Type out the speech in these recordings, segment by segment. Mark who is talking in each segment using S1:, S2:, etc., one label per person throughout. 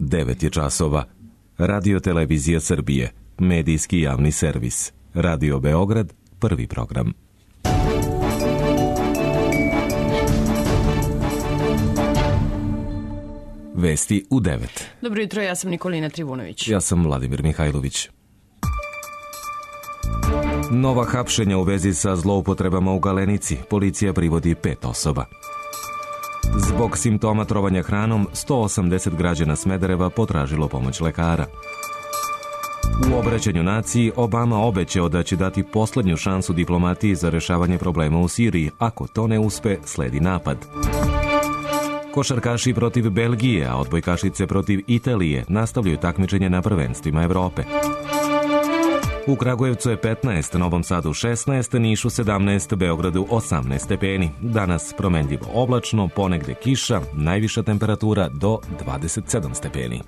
S1: 9 je časova. Radio Televizija Srbije, medijski javni servis. Radio Beograd, prvi program. Vesti u 9.
S2: Dobro jutro, ja sam Nikolina Trivunović.
S1: Ja sam Vladimir Mihajlović. Nova hapšenja u vezi sa zloupotrebama u Galenici. Policija privodi 5 osoba. Zbog simptoma trovanja hranom, 180 građana Smedereva potražilo pomoć lekara. U obraćanju naciji Obama obećao da će dati poslednju šansu diplomatiji za rešavanje problema u Siriji. Ako to ne uspe, sledi napad. Košarkaši protiv Belgije, a odbojkašice protiv Italije nastavljaju takmičenje na prvenstvima Evrope. U Kragujevcu je 15, Novom Sadu 16, Nišu 17, Beogradu 18 stepeni. Danas promenljivo oblačno, ponegde kiša, najviša temperatura do 27 stepeni.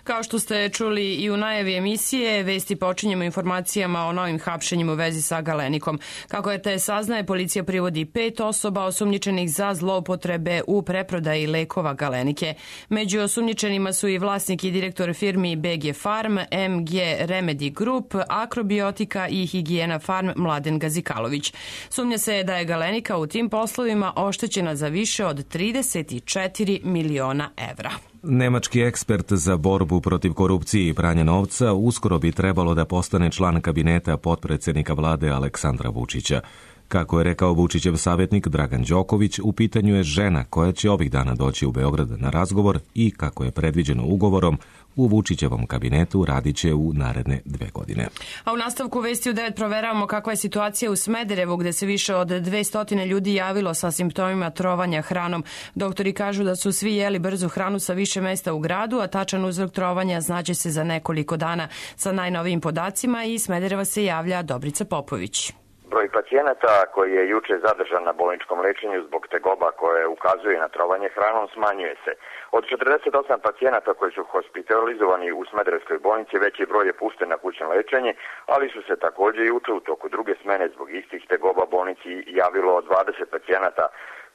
S2: Kao što ste čuli i u najavi emisije, vesti počinjemo informacijama o novim hapšenjima u vezi sa Galenikom. Kako je te saznaje, policija privodi 5 osoba osumnjičenih za zloupotrebe u preprodaji lekova Galenike. Među osumnjičenima su i vlasnik i direktor firmi BG Farm, MG Remedy Group, Akrobiotika i Higijena Farm Mladen Gazikalović. Sumnja se da je Galenika u tim poslovima oštećena za više od 34 miliona evra.
S1: Nemački ekspert za borbu protiv korupcije i pranja novca uskoro bi trebalo da postane član kabineta potpredsednika vlade Aleksandra Vučića. Kako je rekao Vučićev savjetnik Dragan Đoković, u pitanju je žena koja će ovih dana doći u Beograd na razgovor i, kako je predviđeno ugovorom, u Vučićevom kabinetu radit će u naredne 2 godine.
S2: A u nastavku vesti u 9 proveravamo kakva je situacija u Smederevu, gde se više od 200 ljudi javilo sa simptomima trovanja hranom. Doktori kažu da su svi jeli brzu hranu sa više mesta u gradu, a tačan uzrok trovanja znaće se za nekoliko dana. Sa najnovijim podacima iz Smedereva se javlja Dobrica Popović.
S3: Broj pacijenata koji je juče zadržan na bolničkom lečenju zbog tegoba koje ukazuje na trovanje hranom smanjuje se. Od 48 pacijenata koji su hospitalizovani u Smederevskoj bolnici, veći broj je pušten na kućno lečenje, ali su se također juče u toku druge smene zbog istih tegoba bolnici javilo 20 pacijenata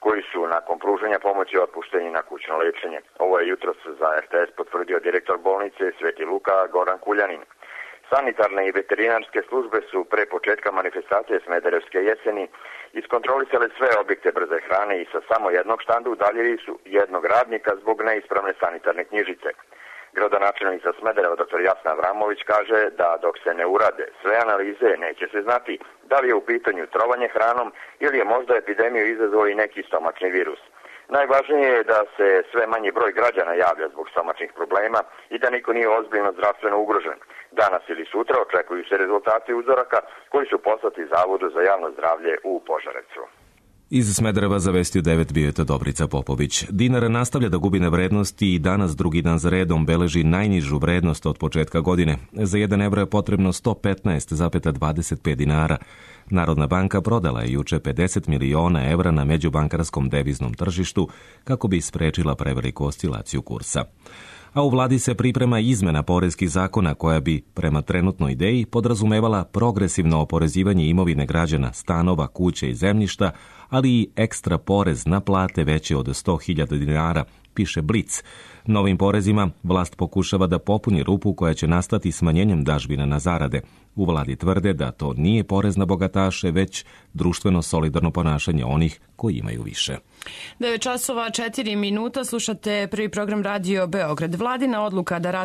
S3: koji su nakon pružanja pomoći otpušteni na kućno lečenje. Ovo je jutros za RTS potvrdio direktor bolnice Sveti Luka Goran Kuljanin. Sanitarne i veterinarske službe su pre početka manifestacije Smederevske jeseni iskontrolisale sve objekte brze hrane i sa samo jednog štanda udaljili su jednog radnika zbog neispravne sanitarne knjižice. Gradonačelnica Smedereva dr. Jasna Avramović kaže da dok se ne urade sve analize neće se znati da li je u pitanju trovanje hranom ili je možda epidemiju izazvao i neki stomačni virus. Najvažnije je da se sve manji broj građana javlja zbog stomačnih problema i da niko nije ozbiljno zdravstveno ugrožen. Danas ili sutra očekuju se rezultati uzoraka koji su poslati Zavodu za javno zdravlje u Požarevcu.
S1: Iz Smedereva za vesti u 9 bio je to Dobrica Popović. Dinar nastavlja da gubi na vrednosti i danas drugi dan za redom beleži najnižu vrednost od početka godine. Za 1 evro je potrebno 115,25 dinara. Narodna banka prodala je juče 50 miliona evra na međubankarskom deviznom tržištu kako bi sprečila preveliku oscilaciju kursa. A u vladi se priprema izmena poreskih zakona koja bi, prema trenutnoj ideji, podrazumevala progresivno oporezivanje imovine građana, stanova, kuće i zemljišta, ali i ekstra porez na plate veće od 100.000 dinara, piše Blic. Novim porezima vlast pokušava da popuni rupu koja će nastati smanjenjem dažbina na zarade. U vladi tvrde da to nije porez na bogataše, već društveno solidarno ponašanje onih koji imaju više.
S2: 9 časova 4 minuta, slušate prvi program Radio Beograd. Vladina odluka da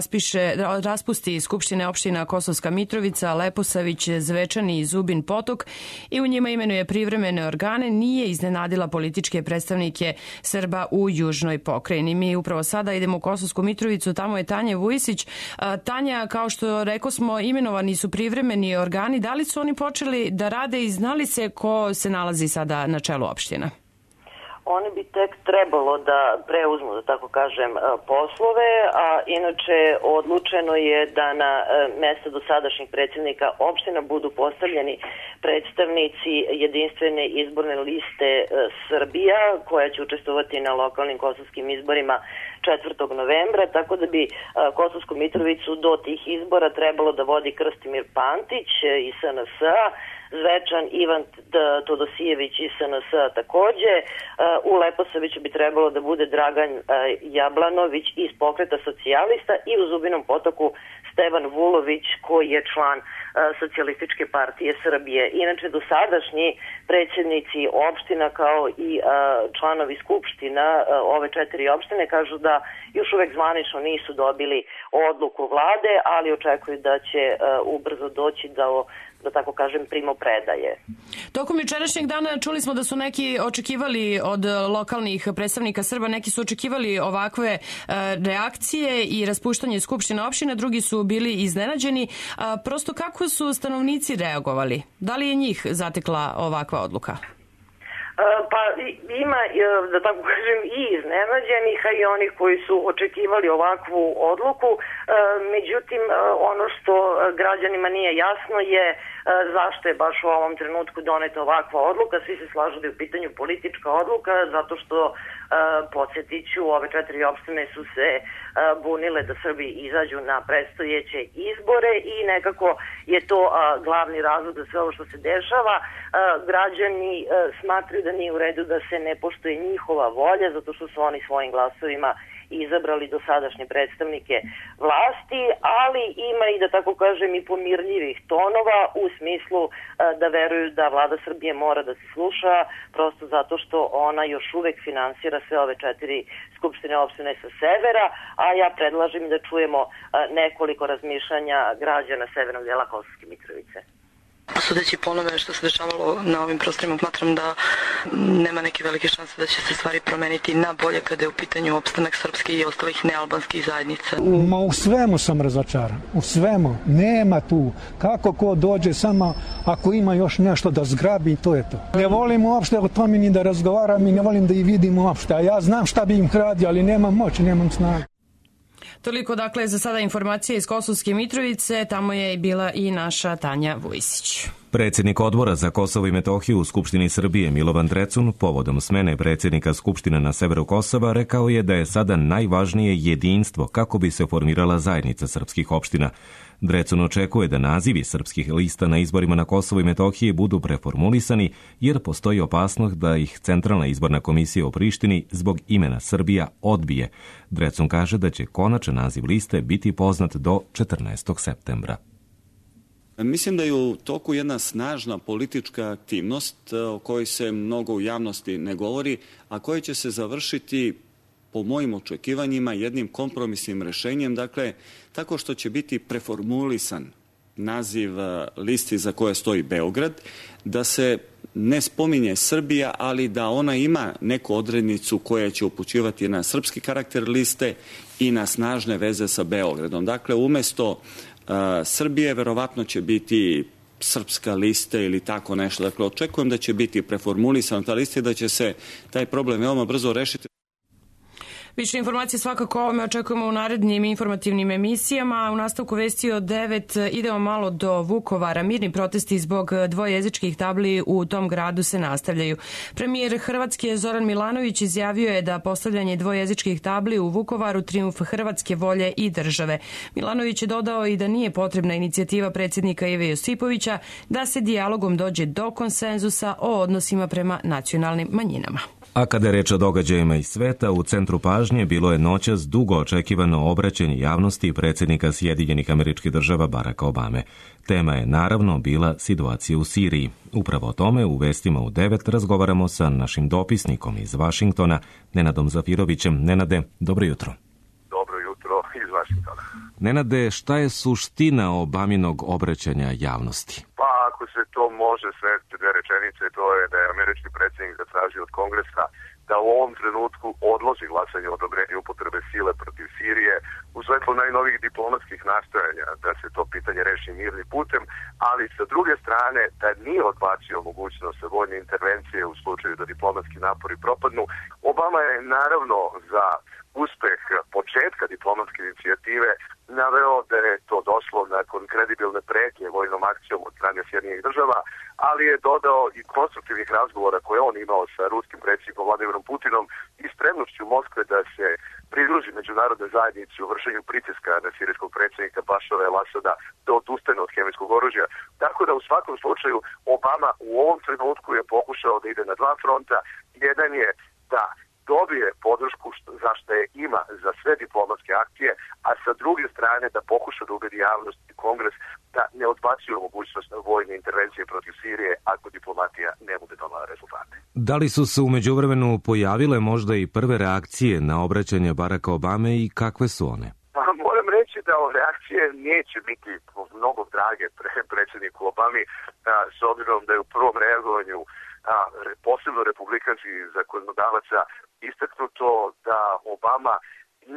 S2: raspusti skupštine opština Kosovska Mitrovica, Leposavić, Zvečani i Zubin Potok i u njima imenuje privremene organe nije iznenadila političke predstavnike Srba u južnoj pokrajini. Mi upravo sada idemo u Kosovsku Mitrovicu, tamo je Tanja Vujisić. Tanja, kao što rekao smo, imenovani su privremeni organi. Da li su oni počeli da rade i znali se ko se nalazi sada na čelu opština?
S4: Oni bi tek trebalo da preuzmu, da tako kažem, poslove, a inače odlučeno je da na mesta dosadašnjih predsjednika opština budu postavljeni predstavnici jedinstvene izborne liste Srbija, koja će učestvovati na lokalnim kosovskim izborima 4. novembra, tako da bi Kosovsku Mitrovicu do tih izbora trebalo da vodi Krstimir Pantić iz SNS-a, Zvečan, Ivan Todosijević iz SNS takođe. U Leposaviću bi trebalo da bude Dragan Jablanović iz Pokreta socijalista i u Zubinom Potoku Stevan Vulović koji je član Socijalističke partije Srbije. Inače, dosadašnji predsjednici opština kao i članovi skupština ove 4 opštine kažu da još uvek zvanično nisu dobili odluku vlade, ali očekuju da će ubrzo doći da tako kažem, primopredaje.
S2: Tokom jučerašnjeg dana čuli smo da su neki očekivali od lokalnih predstavnika Srba, neki su očekivali ovakve reakcije i raspuštanje skupštine opštine, drugi su bili iznenađeni. Prosto kako su stanovnici reagovali? Da li je njih zatekla ovakva odluka?
S4: Pa ima, da tako kažem, i iznenađenih, a i onih koji su očekivali ovakvu odluku. Međutim, ono što građanima nije jasno je zašto je baš u ovom trenutku doneta ovakva odluka. Svi se slažu da je u pitanju politička odluka, zato što, podsjetit ću, ove 4 opštine su se bunile da Srbi izađu na predstojeće izbore i nekako je to glavni razlog za sve ovo što se dešava. Građani smatraju da nije u redu da se ne poštuje njihova volja, zato što su oni svojim glasovima izabrali dosadašnje predstavnike vlasti, ali ima i, da tako kažem, i pomirljivih tonova u smislu da veruju da vlada Srbije mora da se sluša, prosto zato što ona još uvek finansira sve ove 4 skupštine opštine sa severa, a ja predlažem da čujemo nekoliko razmišljanja građana severnog dela Kosovske Mitrovice.
S5: Sudeći po onome što se dešavalo na ovim prostorima, smatram da nema neke velike šanse da će se stvari promeniti na bolje kada je u pitanju opstanak srpske i ostalih nealbanskih zajednica.
S6: U svemu sam razočaran, u svemu. Nema tu. Kako ko dođe, samo ako ima još nešto da zgrabi, to je to. Ne volim uopšte o tome ni da razgovaram i ne volim da ih vidim uopšte. A ja znam šta bi im radio, ali nemam moć, nemam snagu.
S2: Toliko dakle za sada informacije iz Kosovske Mitrovice, tamo je bila i naša Tanja Vujsić.
S1: Predsjednik odbora za Kosovo i Metohiju u Skupštini Srbije Milovan Drecun povodom smene predsjednika Skupštine na severu Kosova rekao je da je sada najvažnije jedinstvo kako bi se formirala zajednica srpskih opština. Drecun očekuje da nazivi srpskih lista na izborima na Kosovo i Metohiji budu preformulisani jer postoji opasnost da ih Centralna izborna komisija u Prištini zbog imena Srbija odbije. Drecun kaže da će konačan naziv liste biti poznat do 14. septembra.
S7: Mislim da je u toku jedna snažna politička aktivnost o kojoj se mnogo u javnosti ne govori, a koja će se završiti po mojim očekivanjima jednim kompromisnim rešenjem, dakle tako što će biti preformulisan naziv listi za koje stoji Beograd, da se ne spominje Srbija, ali da ona ima neku odrednicu koja će upućivati na srpski karakter liste i na snažne veze sa Beogradom. Dakle, umesto Srbije verovatno će biti srpska lista ili tako nešto. Dakle, očekujem da će biti preformulisana ta lista i da će se taj problem veoma brzo rešiti.
S2: Više informacije svakako ovome očekujemo u narednim informativnim emisijama. U nastavku vesti od 9 idemo malo do Vukovara. Mirni protesti zbog dvojezičkih tabli u tom gradu se nastavljaju. Premijer Hrvatske Zoran Milanović izjavio je da postavljanje dvojezičkih tabli u Vukovaru trijumf hrvatske volje i države. Milanović je dodao i da nije potrebna inicijativa predsjednika Ive Josipovića da se dijalogom dođe do konsenzusa o odnosima prema nacionalnim manjinama.
S1: A kada je reč o događajima iz sveta, u centru pažnje bilo je noćas dugo očekivano obraćanje javnosti predsjednika Sjedinjenih Američkih Država Baracka Obame. Tema je naravno bila situacija u Siriji. Upravo o tome u vestima u 9 razgovaramo sa našim dopisnikom iz Vašingtona, Nenadom Zafirovićem. Nenade, dobro jutro.
S8: Dobro jutro iz Vašingtona.
S1: Nenade, šta je suština Obaminog obraćanja javnosti?
S8: Pa ako se to može svesti 2 rečenice, to je da je američki predsjednik zatražio od Kongresa da u ovom trenutku odloži glasanje o odobrenju upotrebe sile protiv Sirije u svetlu najnovijih diplomatskih nastojanja da se to pitanje reši mirnim putem, ali sa druge strane da nije odbacio mogućnost vojne intervencije u slučaju da diplomatski napori propadnu. Obama je naravno za uspeh početka diplomatske inicijative naveo da je to došlo nakon kredibilne pretnje vojnom akcijom od strane Sjedinjenih Država, ali je dodao i konstruktivnih razgovora koje on imao sa ruskim predsjednikom Vladimirom Putinom i spremnošću Moskve da se pridruži međunarodnoj zajednici u vršenju pritiska na sirijskog predsjednika Bašara el-Asada da odustane od hemijskog oružja. Tako da u svakom slučaju Obama u ovom trenutku je pokušao da ide na dva fronta. Jedan je da dobije podršku za što je ima za sve diplomatske akcije, a sa druge strane da pokuša da ubedi javnost i Kongres da ne odbacuju mogućnost vojne intervencije protiv Sirije ako diplomatija ne bude donala rezultate.
S1: Da li su se u međuvremenu pojavile možda i prve reakcije na obraćanje Baracka Obame i kakve su one?
S8: Moram reći da reakcije neće biti mnogo drage predsjedniku Obami, s obzirom da je u prvom reagovanju posebno republikanskih zakonodavaca istaknuto da Obama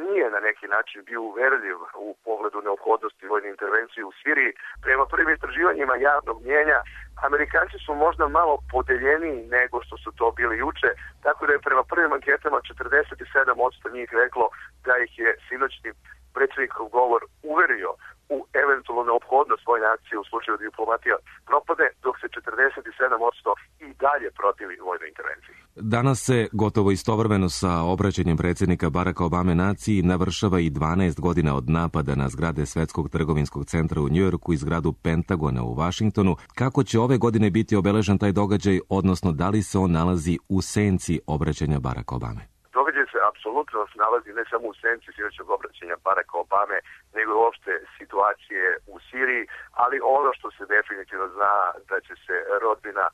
S8: nije na neki način bio uverljiv u pogledu neophodnosti vojne intervencije u Siriji. Prema prvim istraživanjima javnog mnjenja, Amerikanci su možda malo podeljeniji nego što su to bili juče, tako da je prema prvim anketama 47% njih reklo da ih je sinoćni predsjednikov govor uverio u eventualnu neophodnost vojne akcije u slučaju da diplomatija propade, dok se 47% i dalje protivi vojnoj intervenciji.
S1: Danas se gotovo istovremeno sa obraćanjem predsjednika Baracka Obame naciji navršava i 12 godina od napada na zgrade Svetskog trgovinskog centra u Njujorku i zgradu Pentagona u Vašingtonu. Kako će ove godine biti obeležen taj događaj, odnosno da li se on nalazi u senci obraćanja Baracka Obame?
S8: Događaj se apsolutno nalazi ne samo u senci sinoćnog obraćanja Baracka Obame, nego i uopšte situacije u Siriji, ali ono što se definitivno zna da će se rodbina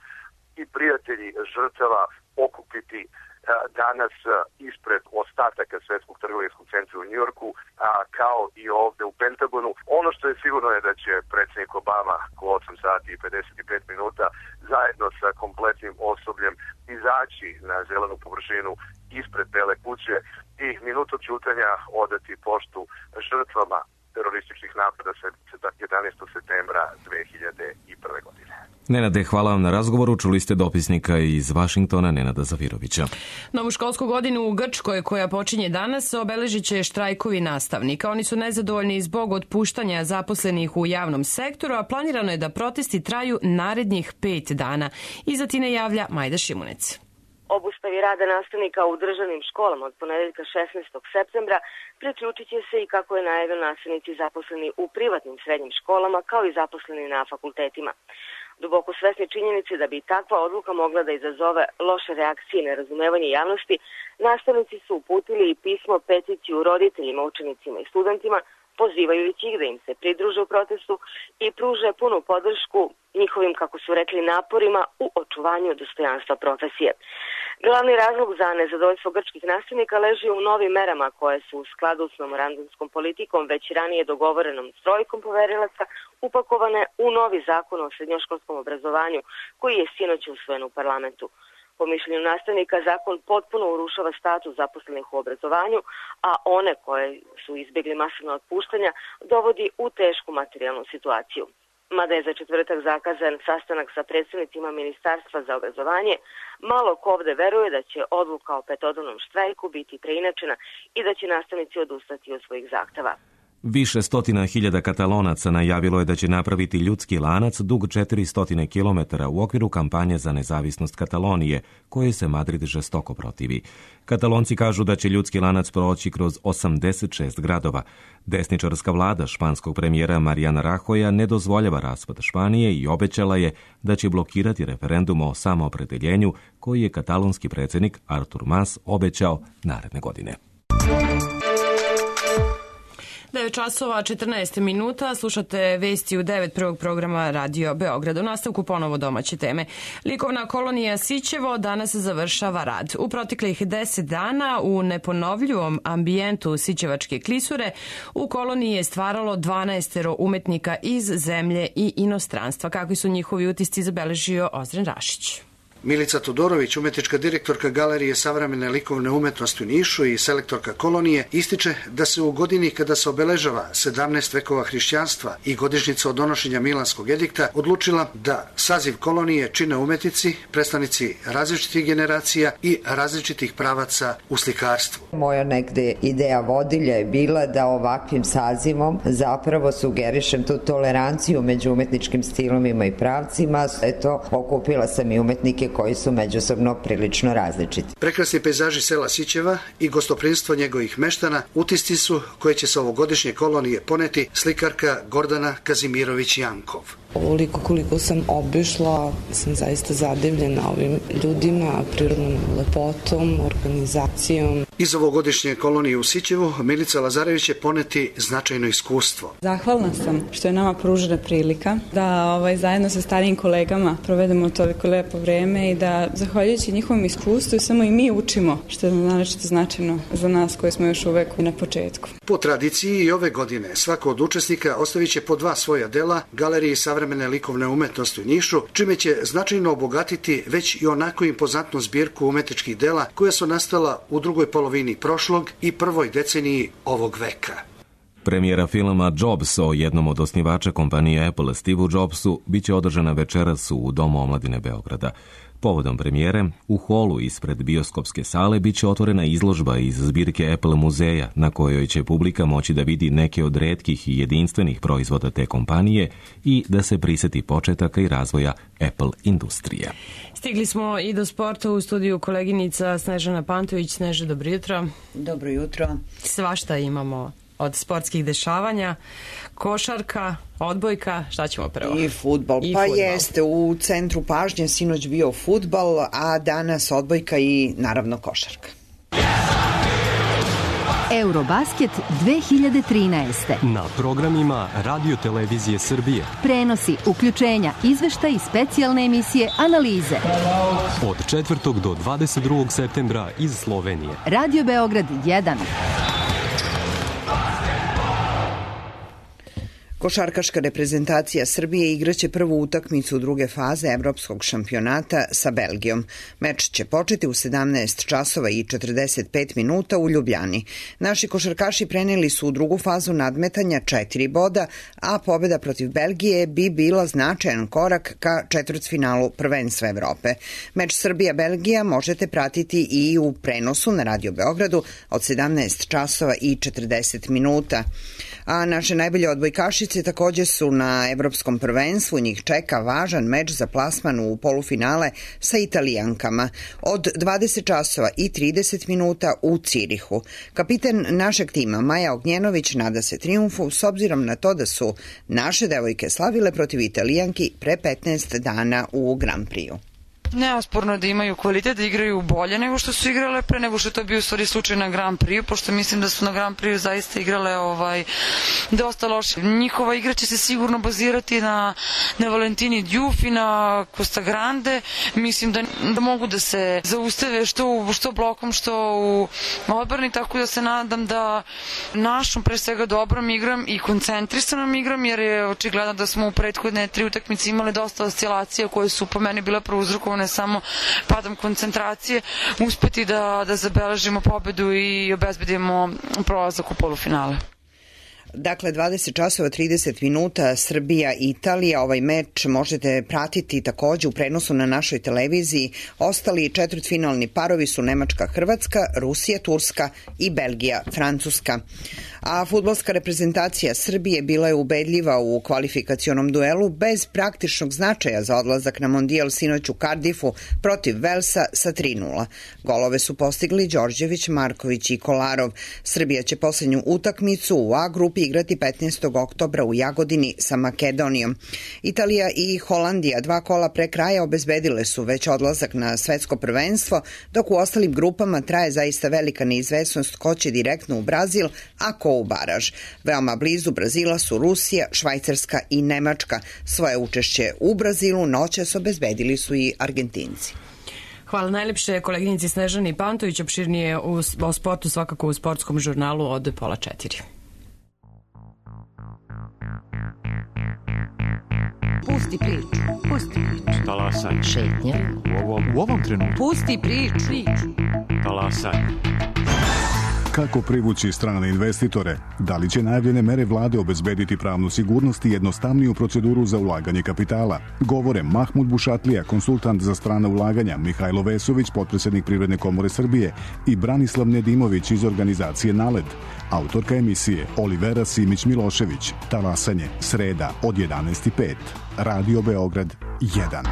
S8: i prijatelji žrtava okupiti danas ispred ostataka Svetskog trgovinskog centra u Njujorku, kao i ovde u Pentagonu. Ono što je sigurno je da će predsjednik Obama u 8 sati i 55 minuta zajedno sa kompletnim osobljem izaći na zelenu površinu ispred Bele kuće i minutom ćutanja odati poštu žrtvama terorističkih napada 11. septembra 2001. godine.
S1: Nenade, hvala vam na razgovoru. Čuli ste dopisnika iz Vašingtona, Nenada Zavirovića.
S2: Novu školsku godinu u Grčkoj, koja počinje danas, obeležit će štrajkovi nastavnika. Oni su nezadovoljni zbog otpuštanja zaposlenih u javnom sektoru, a planirano je da protesti traju narednih 5 dana. Iz Atine javlja Majda Šimunec.
S9: Obustavi rada nastavnika u državnim školama od ponedeljka 16. septembra priključit će se i, kako je najavio, nastavnici zaposleni u privatnim srednjim školama kao i zaposleni na fakultetima. Duboko svesni činjenice da bi takva odluka mogla da izazove loše reakcije i nerazumevanje javnosti, nastavnici su uputili i pismo peticiju roditeljima, učenicima i studentima, pozivajući ih da im se pridruže u protestu i pruže punu podršku njihovim, kako su rekli, naporima u očuvanju dostojanstva profesije. Glavni razlog za nezadovoljstvo grčkih nastavnika leži u novim merama koje su u skladu s memorandumskom politikom već ranije dogovorenom s trojkom poverilaca upakovane u novi zakon o srednjoškolskom obrazovanju koji je sinoć usvojen u parlamentu. Po mišljenju nastavnika, zakon potpuno urušava status zaposlenih u obrazovanju, a one koje su izbjegli masovno otpuštanja dovodi u tešku materijalnu situaciju. Mada je za četvrtak zakazan sastanak sa predstavnicima Ministarstva za obrazovanje, malo ko ovde veruje da će odluka o petodnevnom štrajku biti preinačena i da će nastavnici odustati od svojih zahteva.
S1: Više stotina hiljada Katalonaca najavilo je da će napraviti ljudski lanac dug 400 km u okviru kampanje za nezavisnost Katalonije, koje se Madrid žestoko protivi. Katalonci kažu da će ljudski lanac proći kroz 86 gradova. Desničarska vlada španskog premijera Mariana Rajoja ne dozvoljava raspad Španije i obećala je da će blokirati referendum o samoopredeljenju koji je katalonski predsjednik Artur Mas obećao naredne godine.
S2: 9 časova 14 minuta, slušate vesti u 9 prvog programa Radio Beograd. U nastavku ponovo domaće teme. Likovna kolonija Sićevo danas završava rad. U proteklih 10 dana u neponovljivom ambijentu Sićevačke klisure u koloniji je stvaralo 12 umetnika iz zemlje i inostranstva. Kakvi su njihovi utisci, zabeležio Ozren Rašić.
S10: Milica Todorović, umetnička direktorka Galerije savremene likovne umetnosti u Nišu i selektorka kolonije, ističe da se u godini kada se obeležava 17 vekova hrišćanstva i godišnjica od donošenja Milanskog edikta odlučila da saziv kolonije čine umetnici, predstavnici različitih generacija i različitih pravaca u slikarstvu.
S11: Moja negde ideja vodilja je bila da ovakvim sazivom zapravo sugerišem tu toleranciju među umetničkim stilovima i pravcima. Eto, okupila sam i umetnike jezike koji su međusobno prilično različiti.
S10: Prekrasni pejzaži sela Sićeva i gostoprimstvo njegovih meštana utisci su koje će sa ovogodišnje kolonije poneti slikarka Gordana Kazimirović-Jankov.
S12: Ovoliko koliko sam obišla, sam zaista zadivljena ovim ljudima, prirodnom lepotom, organizacijom.
S10: Iz ovogodišnje kolonije u Sićevu Milica Lazarević će poneti značajno iskustvo.
S13: Zahvalna sam što je nama pružena prilika da zajedno sa starijim kolegama provedemo toliko lepo vreme i da zahvaljujući njihovom iskustvu samo i mi učimo, što je naročito značajno za nas koji smo još uvek na početku.
S10: Po tradiciji i ove godine svako od učesnika ostavit će po 2 svoja dela Galeriji savremene likovne umetnosti u Nišu, čime će značajno obogatiti već i onako impozantnu zbirku umetničkih dela koja su nastala u drugoj polovini prošlog i prvoj deceniji ovog veka.
S1: Premijera filma Jobs o jednom od osnivača kompanije Apple, Steveu Jobsu, biće održana večeras u Domu omladine Beograda. Povodom premijere, u holu ispred bioskopske sale biće otvorena izložba iz zbirke Apple muzeja, na kojoj će publika moći da vidi neke od retkih i jedinstvenih proizvoda te kompanije i da se priseti početaka i razvoja Apple industrije.
S2: Stigli smo i do sporta, u studiju koleginica Snežana Pantović. Sneže, dobro jutro.
S14: Dobro jutro.
S2: Svašta imamo od sportskih dešavanja, košarka, odbojka, šta ćemo prvo?
S14: I fudbal. Jeste, u centru pažnje sinoć bio fudbal, a danas odbojka i naravno košarka.
S15: Eurobasket 2013.
S16: Na programima Radio Televizije Srbije.
S15: Prenosi, uključenja, izveštaj i specijalne emisije, analize.
S16: Od 4. do 22. septembra iz Slovenije.
S15: Radio Beograd 1.
S14: Košarkaška reprezentacija Srbije igraće prvu utakmicu druge faze evropskog šampionata sa Belgijom. Meč će početi u 17 časova i 45 minuta u Ljubljani. Naši košarkaši preneli su u drugu fazu nadmetanja 4 boda, a pobjeda protiv Belgije bi bila značajan korak ka četvrtfinalu prvenstva Evrope. Meč Srbija-Belgija možete pratiti i u prenosu na Radio Beogradu od 17 časova i 40 minuta. A naše najbolje odbojkašice također su na evropskom prvenstvu. Njih čeka važan meč za plasman u polufinale sa Italijankama od 20 časova i 30 minuta u Cirihu. Kapitan našeg tima Maja Ognjenović nada se trijumfu s obzirom na to da su naše devojke slavile protiv Italijanki pre 15 dana u Grand Prixu.
S5: Neosporno da imaju kvalitet, da igraju bolje nego što su igrale pre, nego što je to bio u stvari slučaj na Grand Prix, pošto mislim da su na Grand Prix zaista igrale dosta loše. Njihova igra će se sigurno bazirati na Valentini Diouf i na Costa Grande. Mislim da mogu da se zaustave što blokom, što u odbrani, tako da se nadam da našom pre svega dobrom igram i koncentrisanom igram, jer je očigledno da smo u prethodne 3 utakmice imali dosta oscilacija koje su po meni bile prouzrokovane ne samo padom koncentracije, uspeti da zabeležimo pobedu i obezbedimo prolazak u polufinale.
S14: Dakle, 20 časova 30 minuta Srbija i Italija. Ovaj meč možete pratiti također u prenosu na našoj televiziji. Ostali četvrtfinalni parovi su Nemačka-Hrvatska, Rusija-Turska i Belgija-Francuska. A fudbalska reprezentacija Srbije bila je ubedljiva u kvalifikacionom duelu bez praktičnog značaja za odlazak na mondijal sinoć u Cardiffu protiv Velsa sa 3:0. Golove su postigli Đorđević, Marković i Kolarov. Srbija će posljednju utakmicu u A grupi igrati 15. oktobra u Jagodini sa Makedonijom. Italija i Holandija 2 kola pre kraja obezbedile su već odlazak na svetsko prvenstvo, dok u ostalim grupama traje zaista velika neizvesnost ko će direktno u Brazil, a ko u baraž. Veoma blizu Brazila su Rusija, Švajcarska i Nemačka. Svoje učešće u Brazilu noćas obezbedili su i Argentinci.
S2: Hvala najlepše koleginici Snežani Pantović, opširnije o sportu svakako u sportskom žurnalu od 3:30.
S15: Pusti priču, pusti priču.
S16: Talasaj.
S15: Šetnja.
S16: U ovom trenutku.
S15: Pusti priču.
S16: Talasaj.
S17: Kako privući strane investitore? Da li će najavljene mere vlade obezbediti pravnu sigurnost i jednostavniju proceduru za ulaganje kapitala? Govore Mahmud Bušatlija, konsultant za strana ulaganja, Mihajlo Vesović, potpredsjednik Privredne komore Srbije i Branislav Nedimović iz organizacije NALED. Autorka emisije Olivera Simić-Milošević. Talasanje, sreda od 11:05. Radio Beograd 1.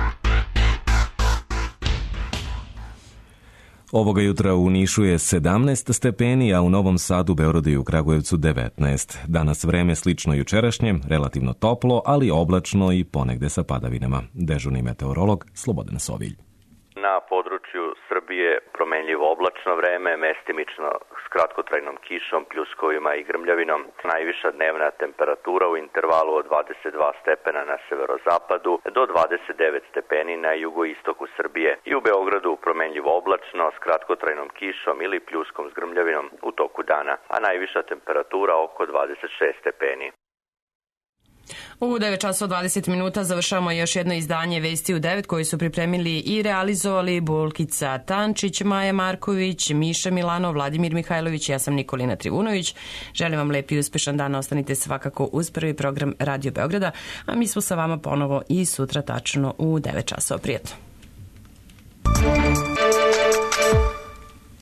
S1: Ovoga jutra u Nišu je 17 stepeni, a u Novom Sadu, Beogradu i u Kragujevcu 19. Danas vreme slično jučerašnjem, relativno toplo, ali oblačno i ponegde sa padavinama. Dežurni meteorolog Slobodan Sovilj.
S18: Na području Srbije promenljivo oblačno vreme, mestimično s kratkotrajnom kišom, pljuskovima i grmljavinom. Najviša dnevna temperatura u intervalu od 22 stepena na severozapadu do 29 stepeni na jugoistoku Srbije. I u Beogradu promenljivo oblačno s kratkotrajnom kišom ili pljuskom s grmljavinom u toku dana, a najviša temperatura oko 26 stepeni.
S2: U 9 časova 20 minuta završavamo još jedno izdanje Vesti u 9 koji su pripremili i realizovali Bulkica Tančić, Maja Marković, Miša Milano, Vladimir Mihajlović, ja sam Nikolina Trivunović. Želim vam lep i uspešan dan, ostanite svakako uz prvi program Radio Beograda, a mi smo sa vama ponovo i sutra tačno u 9 časova. Prijetno.